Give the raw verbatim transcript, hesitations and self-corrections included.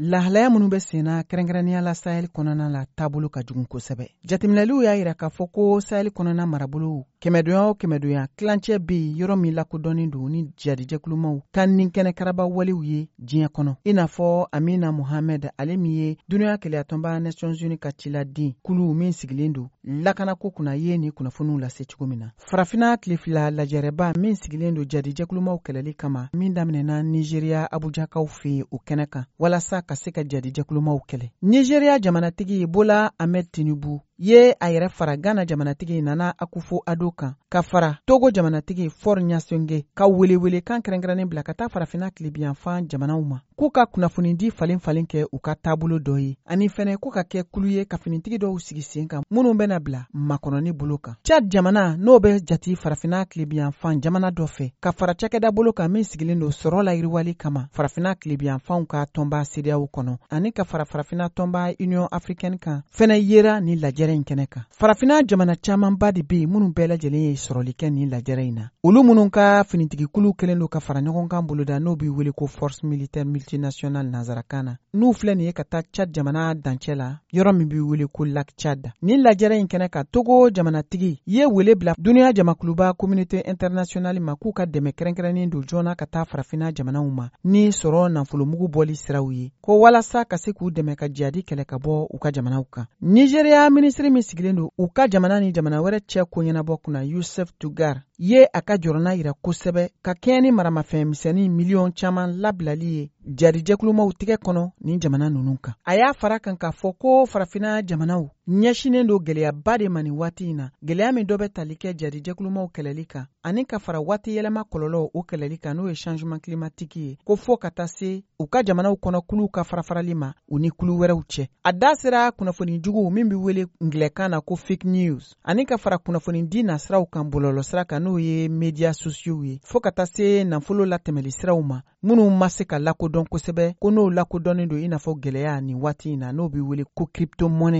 Lahalaya minnu bɛ senna, kɛrɛnkɛrɛnnenya la Sahel kɔnɔna la, taabolo ka jugu kosɛbɛ. Jateminɛliw y'a yira k'a fɔ ko Sahel kɔnɔna marabolow kɛmɛdonya o kɛmɛdonya, tilancɛ bɛ yen yɔrɔ min lakodɔnnen don ni jadijɛkulumaw ka nin kɛnɛkaraba walew ye diɲɛ kɔnɔ, i n'a fɔ Amina Mohamed, ale min ye Duniya Kelenyatɔnba, Nations Unies, ka ciladen kulu min sigilen don lakanako kunna, ye nin kunnafoniw lase cogo min na. Farafina tile fila lajɛrɛba min sigilen don jadijɛkulumaw kɛlɛli kama, min daminɛna Nizeriya Abujakaw fɛ yen, o kɛnɛ kan walasa ka se ka jadijɛkulumaw kɛlɛ, Nizeriya jamanatigi Bola Ahmed Tinubu ye a yɛrɛ fara Ghana jamanatigi Nana Akufo Ado kan, ka fara Togo jamanatigi Faure Gnassingbé, ka welewele kan kɛrɛnkɛrɛnnen bila ka taa Farafina tilebiyanfan jamanaw ma, k'u ka kunnafonidi falen falen kɛ u ka taabolo dɔ ye, ani fɛnɛ k'u ka kɛ kulu ye ka finitigi dɔw sigi sen kan minnu bɛna bila makɔnɔni bolo kan. Chad jamana, n'o bɛ jati Farafina tilebiyanfan jamana dɔ fɛ, ka fara cakɛda bolo kan min sigilen don sɔrɔ la yiriwali kama Farafina tilebiyanfanw ka tɔnba CEDEAO kɔnɔ, ani ka fara Farafina tɔnba Union africaine kan, fɛnɛ yera nin lajɛrɛ in kɛnɛ kan. Farafina jamana camanba de bɛ yen minnu bɛɛ lajɛlen ye sɔrɔli kɛ nin lajɛrɛ in na, olu minnu ka finitigikulu kɛlen don ka fara ɲɔgɔn kan boloda, n'o bɛ wele ko Force militaire multinationale nanzarakan na, n'u filɛ nin ye ka taa Chad jamana dancɛ la, yɔrɔ min bɛ wele ko Lac Tchad. Nin lajɛrɛ in kɛnɛ kan, Togo jamanatigi ye wele bila duniya jamakuluba, Communauté internationale, ma, k'u ka dɛmɛ kɛrɛnkɛrɛnnen don joona ka taa Farafina jamanaw ma ni sɔrɔ nafolomugu bɔli siraw ye, ko walasa ka se k'u dɛmɛ ka jadi kɛlɛ ka bɔ u ka jamanaw kan. Nizeriya minisiri min sigilen don u ka jamana ni jamana wɛrɛ cɛ ko ɲɛnabɔ kunna, Yusuf Tugar, ye a ka jɔrɔna yira kosɛbɛ ka kɛɲɛ ni maramafɛn misɛnnin miliyɔn caman labilali ye jarijɛkulumaw tigɛ kɔnɔ nin jamana ninnu kan. A y'a fara kan k'a fɔ ko Farafina jamanaw ɲɛsinen don gwɛlɛyaba de ma nin waati in na, gwɛlɛya min dɔ bɛ tali kɛ jarijɛkulumaw kɛlɛli kan, ani ka fara waati yɛlɛma kɔlɔlɔw o kɛlɛli kan, n'o ye changement climatique ye, ko fɔɔ ka taa se u ka jamanaw kɔnɔ kuluw ka farafarali ma u ni kulu wɛrɛw cɛ. A da sera kunnafoni jugu min be wele ngilɛkan na ko fake news, ani ka fara kunnafoni di nasiraw kan bɔlɔlɔsira kan, n'o ye médias sociaux ye, fɔɔ ka taa se nafolo latɛmɛli siraw ma minnu ma se ka lakodɔn kosɛbɛ, ko n'o lakodɔnnen don i n'a fɔ gwɛlɛya nin waati in na, n'o be wele ko crypto monnaie.